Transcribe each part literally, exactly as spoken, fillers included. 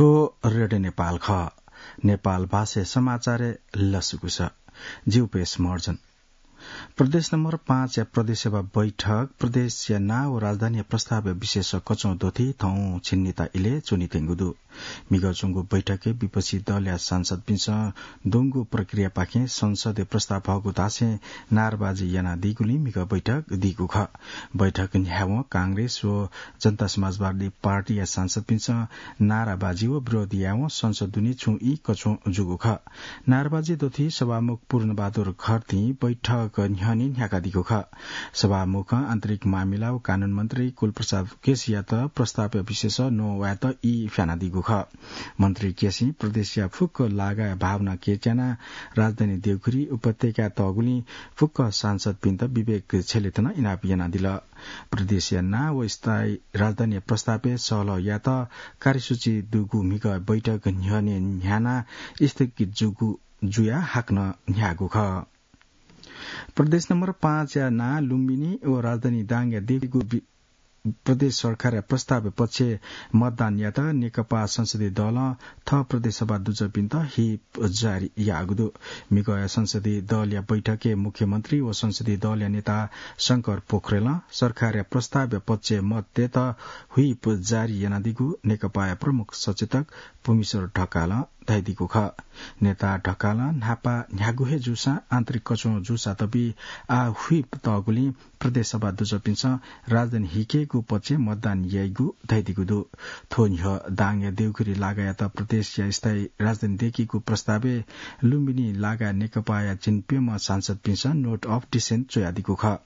यो रेडियो नेपाल खः। नेपाल भाषाय् समाचारय् लसकुस। जिउ पेश महर्जन। प्रदेश नम्बर पाँचया प्रदेश सभा बैठक प्रदेशया नां व राजधानीया प्रस्तावया विषयस कच्वं द्वथी थौं झिंनिता इलय् च्वनीत्यंगु दु। म्हिगः च्वंगु बैठकय् विपक्षी दलया सांसदपिन्सं द्वंगु प्रक्रियापाखें संसदय् प्रस्ताव हःगु धासें नाराबाजी यानादीगुलिं म्हिगः बैठक दीगु खः। बैठक न्ह्यावं कांग्रेस व जनता समाजवादी पार्टीया सांसदपिन्सं नाराबाजी व विरोध यावं संसद दुने छुं ई कच्वं जूगु खः। नाराबाजी द्वथी सभामुख पूर्णबहादुर खर्तीं बैठक न्ह्यःने न्ह्याकादीगु खः। सभामुखं आन्तरिक मामिला व कानून मन्त्री कुलप्रसाद केसीयात प्रस्तावया विषयस न्ववायेत ई फ्यानादीगु खः। मन्त्री केसीं प्रदेशया फुक्क लागाया भावना केच्यानाः राजधानी देउखुरी उपत्यकाय् तःगुलिं फुक्क सांसदपिन्त विवेक छेलेत नं इनाप यानादिल। प्रदेशया नां व स्थायी राजधानीया प्रस्तावय् सहलह यायेत कार्यसूची दुगु म्हिगः बैठक न्ह्यःने न्ह्यानाः स्थगित जूगु जुयाः हाकनं न्ह्याःगु खः। प्रदेश नम्बर पाँचया नां लुम्बिनी व राजधानी दाङया देगु बि-, प्रदेश सरकारया प्रस्तावया पक्षय् मतदान यायेत नेकपा संसदीय दलं थः प्रदेश सभा दुजःपिन्त whip जारी याःगु दु। म्हिगःया संसदीय दलया बैठकय् मुख्यमन्त्री व संसदीय दलया नेता शंकर पोखरेलं सरकारया प्रस्तावया पक्षय् मत तयेत whip जारी यानादीगु नेकपाया प्रमुख सचेतक पुमीश्वर ढकालं धयादीगु खः। नेता ढकालं न्हापा न्ह्यागु हे जूसां आन्तरिक कच्वं जूसा तबि आः whip तःगुलिं प्रदेश सभा दुजःपिन्सं राजधानी हिकेगु पक्षय् मतदान याइगु धयादीगु दु। थ्व न्ह्यः दाङया देउखुरी लागायात प्रदेशया स्थायी राजधानी देकीगु प्रस्तावय् लुम्बिनी लागा नेकपाया झिंप्यम्ह सांसदपिन्सं note of dissent च्वयादीगु खः।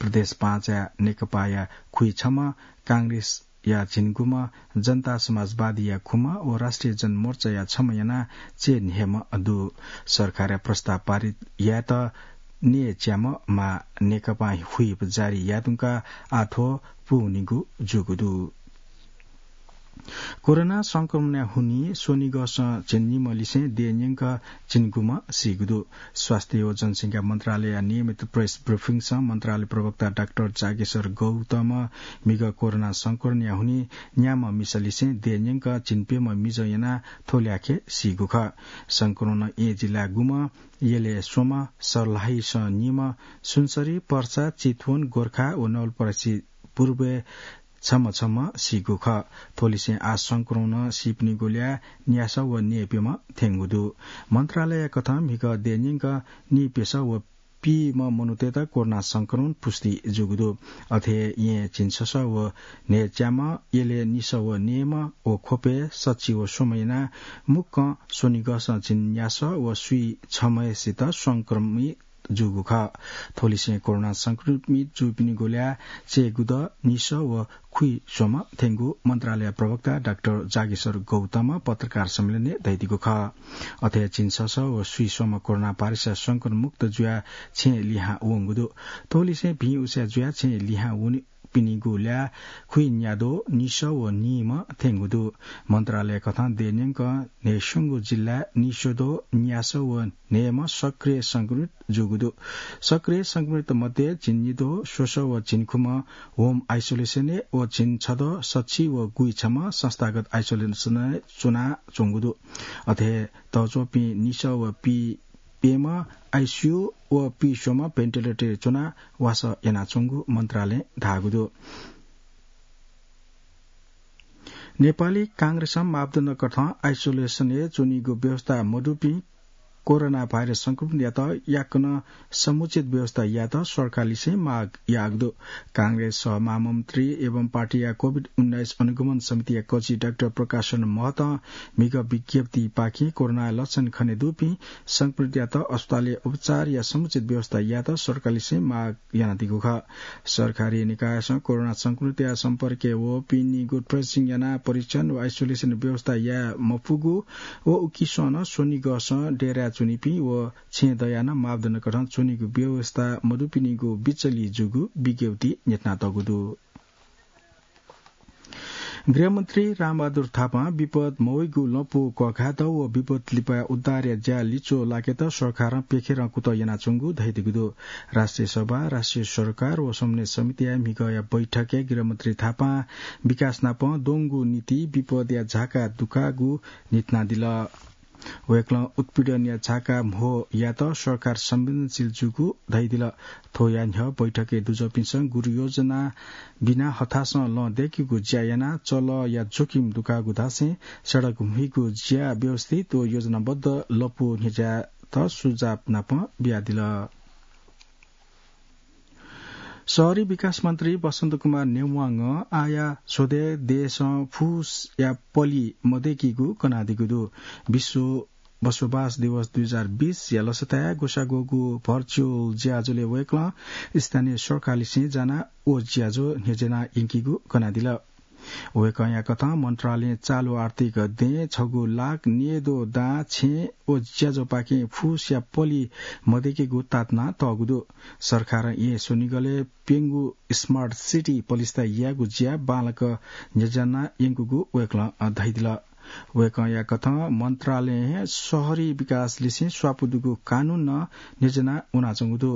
प्रदेश पाँचया नेकपाया खुइछम्ह, कांग्रेसया झिंगुम्ह, जनता समाजवादीया खुम्ह व राष्ट्रिय जनमोर्चाया छम्ह यानाः चय्न्हय्म्ह दु। सरकारया प्रस्ताव पारित यायेत न्यय्च्याम्ह माः नेकपां whip जारी यायेधुंकाः आः थ्व पूवनीगु जूगु दु। कोरोना संक्रमणया हुनिं स्वनिगःसं झिंनिम्ह लिसें देय् न्यंक झिंगुम्ह सीगु दु। स्वास्थ्य व जनसंख्या मन्त्रालयया नियमित press briefing-सं मन्त्रालय प्रवक्ता डाक्टर जागेश्वर गौतमं म्हिगः कोरोना संक्रमणया हुनिं न्याम्ह मिसा लिसें देय् न्यंक झिंप्यम्ह मिजं यानाः थ्व ल्याखय् सीगु खः। संक्रमणं येँ जिल्ला गुम्ह, यलय् स्वम्ह, सर्लाहीसं निम्ह, सुनसरी, पर्सा, चितवन, गोर्खा व नवलपरासी पूर्वय् छम्ह छम्ह सीगु खः। थ्वलिसें आः संक्रमणं सीपिनिगु ल्याः न्यासः व नीप्यम्ह थ्यंगु दु। मन्त्रालयया कथं म्हिगः देय् न्यंक नीप्यसः व पीम्ह मनूतय्त कोरोना संक्रमण पुष्टि जूगु दु। अथे येँ झिंछसः व न्हय्च्याम्ह, यलय् निसः व नीम्ह व ख्वपय् सच्छि व स्वम्ह यानाः मुक्कं स्वनिगःसं झिंन्यासः व स्वीछम्हय्सित संक्रमित जूगु खः। थ्वलिसें कोरोना संक्रमित जूपिनिगु ल्याः चय्गुदँ निसः व खुइस्वम्ह थ्यंगु मन्त्रालय प्रवक्ता डाक्टर जागेश्वर गौतमं पत्रकार सम्मेलनय् धयादीगु खः। अथे झिंछसः व स्वीस्वम्ह कोरोना भाइरसया संक्रमण मुक्त जुयाः छेँय् लिहां वंगु दु। थ्वलिसें भिं उसाँय् जुयाः छेँय् लिहां वनी पिनिगु ल्याः खुइन्याद्वः निसः व नीम्ह थ्यंगु दु। मन्त्रालय कथं देय् न्यंक न्हय्स्वंगू जिल्लाय् निस्वद्वः न्यासः व न्हय्म्ह सक्रिय संक्रमित जूगु दु। सक्रिय संक्रमित मध्ये झिंनिद्वः स्वसः व झिंखुम्ह home isolation-य् व झिंछद्वः सच्छि व गुइछम्ह संस्थागत isolation-य् च्वनाच्वंगु दु। अथे तःच्वंपिं निसः व पीप्यम्ह ICU व पीस्वम्ह ventilator-य् च्वनाः वासः यानाच्वंगु मन्त्रालयं धाःगु दु। नेपाली कांग्रेसं मापदण्ड कथं isolation-य् च्वनीगु व्यवस्था मदुपिं कोरोना भाइरस संक्रमितयात याकनं समुचित व्यवस्था यायेत सरकारलिसें माग याःगु दु। कांग्रेस सह महामन्त्री एवं पार्टीया कोभिड उन्नाइस अनुगमन समितिया कजि डाक्टर प्रकाशन महतं म्हिगः विज्ञप्तिपाखें कोरोना लक्षण खनेदुपिं संक्रमितयात अस्पतालय् उपचारया समुचित व्यवस्था यायेत सरकारलिसें माग यानादीगु खः। सरकारी निकायसं कोरोना संक्रमितया सम्पर्कय् वःपिनिगु tracing यानाः परीक्षण व isolation व्यवस्था याये मफुगु व उकिसं नं स्वनिगःसं डेराय् च्वनीपिं व छेँ दयाः नं मापदण्ड कथं च्वनीगु व्यवस्था मदुपिनिगु बिचलि जूगु विज्ञप्तिइ न्ह्यथनातःगु दु। गृहमन्त्री रामबहादुर थापां विपद मवइगु लँपु कःघात व विपद लिपा उद्धारया ज्या लिच्वः लाकेत सरकारं प्यखेरं कुतः यानाच्वंगु धयादीगु दु। राष्ट्रिय सभा, राष्ट्रिय सरकार व समन्वय समितिया म्हिगःया बैठकय् गृहमन्त्री थापां विकास नाप द्वंगु नीति विपदया झाका दुकाःगु न्हिथनादिल। वय्कलं उत्पीडनया झाका म्हो यायेत सरकार संवेदनशील जूगु धयादिल। थ्वया न्ह्यः बैठकय् दुजःपिन्सं गुरुयोजना बिना हथासं लँ दय्केगु ज्या यानाः चलःया जोखिम दुकाःगु धासें सडक म्हुइगु ज्या व्यवस्थित व योजनाबद्ध लँपु न्ह्यज्यायेत सुझाव नाप बियादिल। शहरी विकास मन्त्री बसन्त कुमार नेवांगं आःया स्वदँय् देशं फुसया पलि मदय्केगु कनादीगु दु। विश्व बसोबास दिवस दुई हजार बीस या लसताय् ग्वसाः ग्वःगु virtual ज्याझ्वलय् वय्कलं स्थानीय सरकारलिसें जानाः व ज्याझ्वः न्ह्यज्याना यंकीगु कनादिल। वय्कःया कथं मन्त्रालयं चालु आर्थिक दँय् छगू लाख न्येद्वः दां छेँ व ज्याझ्वःपाखें फुसया पलि मदय्केगु ताःतना तःगु दु। सरकारं येँ स्वनिगलय् प्यंगू smart city पलिस्था यायेगु ज्या बांलाक न्ह्यज्याना यंकूगु वय्कलं धयादिल। वय्कःया कथं मन्त्रालयं शहरी विकासलिसें स्वापू दुगु कानून नं न्ह्यज्याना वनाच्वंगु दु।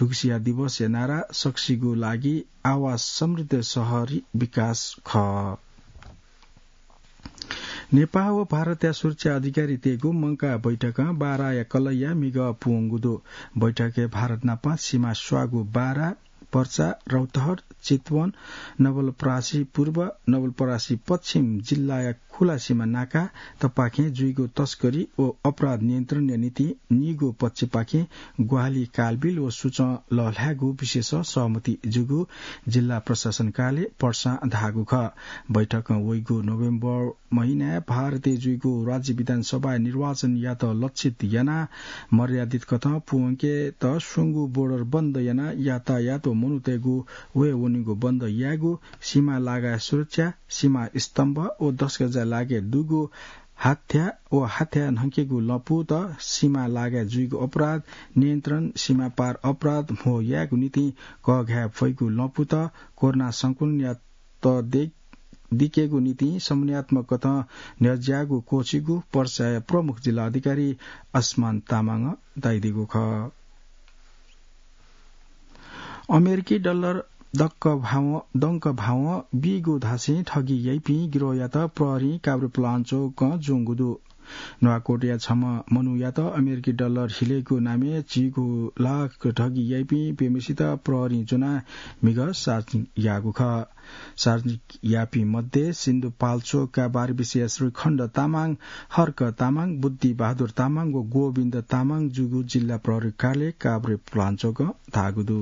थुगुसिया दिवसया नारा सकसिगु लागि आवास समृद्ध शहरी विकास खः। नेपाः व भारतया सुरक्षा अधिकारीतय्गु मंकाः बैठकं बाराया कलैया म्हिगः पूवंगु दु। बैठकय् भारत नाप सीमा स्वाःगु बारा, पर्सा, रौतहट, चितवन, नवलपरासी पूर्व, नवलपरासी पश्चिम जिल्लाया खुला सीमा नाका तपाखें जुइगु तस्करी व अपराध नियन्त्रणया निंतिं निगू पक्षपाखें ग्वाहालि कालबिल व सुचं लःल्हायेगु विषयस सहमति जूगु जिल्ला प्रशासन कार्यालय पर्सां धाःगु खः। बैठकं वइगु नोभेम्बर महिनाय् भारतय् जुइगु राज्य विधानसभाया निर्वाचनयात लक्षित यानाः मर्यादित कथं पूवंकेत स्वंगू border बन्द यानाः यातायात व मनूतय्गु वये वनेगु बन्द यायेगु, सीमा लागाय् सुरक्षा, सीमा स्तम्भ व दसगजाय् लागाय् दुगु हाथ्या व हाथ्या न्हंकेगु लँपुत, सीमा लागाय् जुइगु अपराध नियन्त्रण, सीमा पार अपराध म्हो यायेगु निंतिं कःघाये फइगु लँपुत, कोरोना संक्रमणयात दे-, दिकेगु निंतिं समन्वयात्मक कथं न्ह्यज्याःगु क्वःछिगु पर्साया प्रमुख जिल्ला अधिकारी आसमान तामाङं धयादीगु खः। अमेरिकी डलर दक्क भावं, दंक भावं बीगु धासें ठगी याइपिं गिरोहयात प्रहरीं काभ्रेपलाञ्चोकं ज्वंगु दु। नुवाकोटया छम्ह मनूयात अमेरिकी डलर हिलेगु नामय् झिगू लाख ठगी याइपिं प्यम्हेसित प्रहरीं ज्वनाः म्हिगः सार्वजनिक याःगु खः। सार्वजनिक याःपिं मध्ये सिन्धुपाल्चोकका बारबिसेया श्रीखण्ड तामाङ, हर्क तामाङ, बुद्धि बहादुर तामाङ व गोविन्द तामाङ जूगु जिल्ला प्रहरी कार्यालय काभ्रेपलाञ्चोकं धाःगु दु।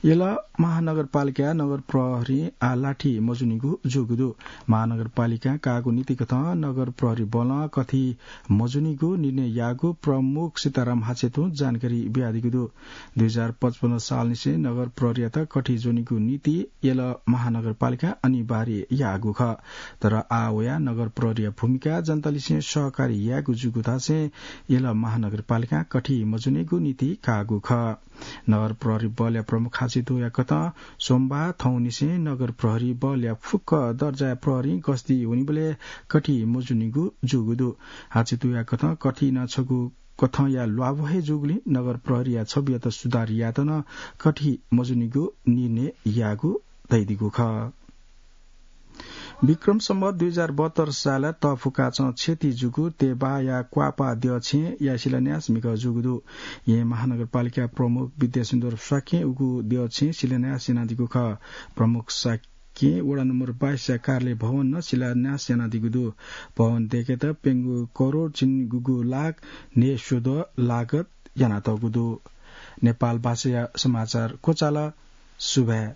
यल महानगरपालिकाया नगर प्रहरीं आः लाठी मज्वनीगु जूगु दु। महानगरपालिकां काःगु नीतिकथं नगर प्रहरी बलं कथि मज्वनीगु निर्णय याःगु प्रमुख सीताराम हाचेतुं जानकारी बियादीगु दु। दुई हजार पचपन्न सालनिसें नगर प्रहरीयात कथि ज्वनीगु नीति यल महानगरपालिकां अनिवार्य याःगु खः। तर आः वयाः नगर प्रहरीया भूमिका जनतालिसें सहकारी यायेगु जूगु धासें यल महानगरपालिकां कथि मज्वनीगु नीति काःगु खः। नगर प्रहरी बलया प्रमुख हाचेतुया कथं सोमबाः थौंनिसें नगर प्रहरी बलया फुक्क दर्जाया प्रहरीं गस्ती वनीबलय् कथि मज्वनीगु जूगु दु। हाचेतुया कथं कथि नं छगू कथंया ल्वाभः हे जूगुलिं नगर प्रहरीया छवियात सुधार यायेत नं कथि मज्वनीगु निर्णय याःगु धयादीगु खः। विक्रम सम्वत दुई हजार बहत्तर सालय् तःफुकाचं क्षति जूगु तेबाःया क्वापा द्यःछेँया शिलान्यास म्हिगः जूगु दु। येँ महानगरपालिका प्रमुख विद्यासिन्दुर शाक्यं उगु द्यःछेँ शिलान्यास यानादीगु खः। प्रमुख शाक्यं वडा नम्बर बाइसया कार्यालय भवन नं शिलान्यास यानादीगु दु। भवन दय्केत प्यंगू करोड झिंगूगू लाख न्हय्स्वद्वः लागत यानातःगु दु। नेपाल भाषाया समाचार क्वचाल। सुभाय्।